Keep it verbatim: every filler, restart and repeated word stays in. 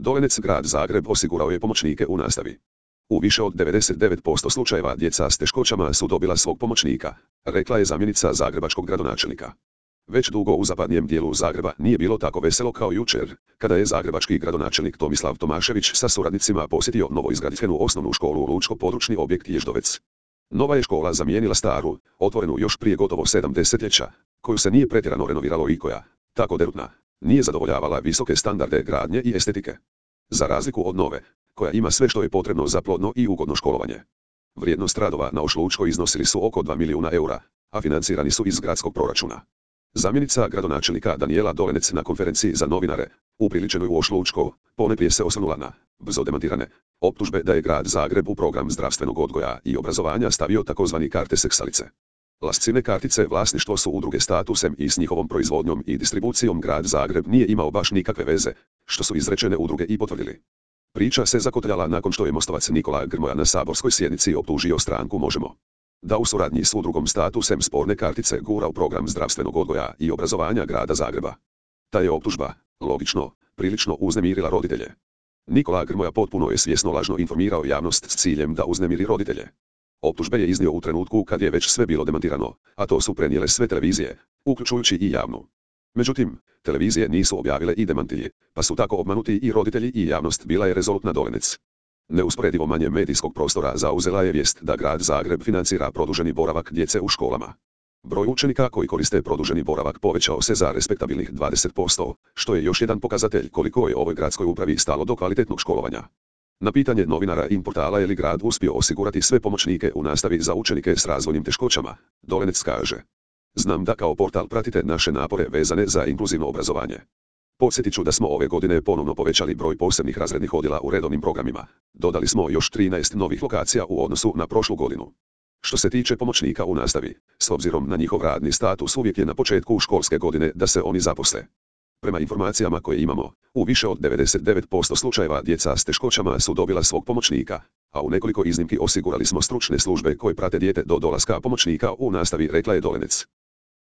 Dolenec grad Zagreb osigurao je pomoćnike u nastavi. U više od devedeset devet posto slučajeva djeca s teškoćama su dobila svog pomoćnika, rekla je zamjenica zagrebačkog gradonačelnika. Već dugo u zapadnijem dijelu Zagreba nije bilo tako veselo kao jučer, kada je zagrebački gradonačelnik Tomislav Tomašević sa suradnicima posjetio novoizgrađenu osnovnu školu Lučko-područni objekt Ježdovec. Nova je škola zamijenila staru, otvorenu još prije gotovo sedam desetljeća, koju se nije pretjerano renoviralo i koja, tako derutna, nije zadovoljavala visoke standarde gradnje i estetike. Za razliku od nove, koja ima sve što je potrebno za plodno i ugodno školovanje. Vrijednost radova na Ošlučkoj iznosili su oko dva milijuna eura, a financirani su iz gradskog proračuna. Zamjenica gradonačelnika Danijela Dolenec na konferenciji za novinare, upriličenoj u Ošlučko, ponajprije se osvrnula na brzo demantirane optužbe da je grad Zagreb u program zdravstvenog odgoja i obrazovanja stavio takozvani karte seksalice. Lascine kartice vlasništvo su udruge Statusem i s njihovom proizvodnjom i distribucijom grad Zagreb nije imao baš nikakve veze, što su izrečene udruge i potvrdili. Priča se zakotljala nakon što je mostovac Nikola Grmoja na saborskoj sjednici optužio stranku Možemo! Da u suradnji s udrugom Statusem sporne kartice gura u program zdravstvenog odgoja i obrazovanja grada Zagreba. Ta je optužba, logično, prilično uznemirila roditelje. Nikola Grmoja potpuno je svjesno lažno informirao javnost s ciljem da uznemiri roditelje. Optužbe je iznio u trenutku kad je već sve bilo demantirano, a to su prenijele sve televizije, uključujući i javnu. Međutim, televizije nisu objavile i demantilje, pa su tako obmanuti i roditelji i javnost, bila je rezolutna Dolenec. Neusporedivo manje medijskog prostora zauzela je vijest da grad Zagreb financira produženi boravak djece u školama. Broj učenika koji koriste produženi boravak povećao se za respektabilnih dvadeset posto, što je još jedan pokazatelj koliko je ovoj gradskoj upravi stalo do kvalitetnog školovanja. Na pitanje novinara in portala je li grad uspio osigurati sve pomoćnike u nastavi za učenike s razvojnim teškoćama, Dolenec kaže: Znam da kao portal pratite naše napore vezane za inkluzivno obrazovanje. Podsjetit ću da smo ove godine ponovno povećali broj posebnih razrednih odjela u redovnim programima. Dodali smo još trinaest novih lokacija u odnosu na prošlu godinu. Što se tiče pomoćnika u nastavi, s obzirom na njihov radni status uvijek je na početku školske godine da se oni zaposle. Prema informacijama koje imamo, u više od devedeset devet posto slučajeva djeca s teškoćama su dobila svog pomoćnika, a u nekoliko iznimki osigurali smo stručne službe koje prate dijete do dolaska pomoćnika u nastavi, rekla je Dolenec.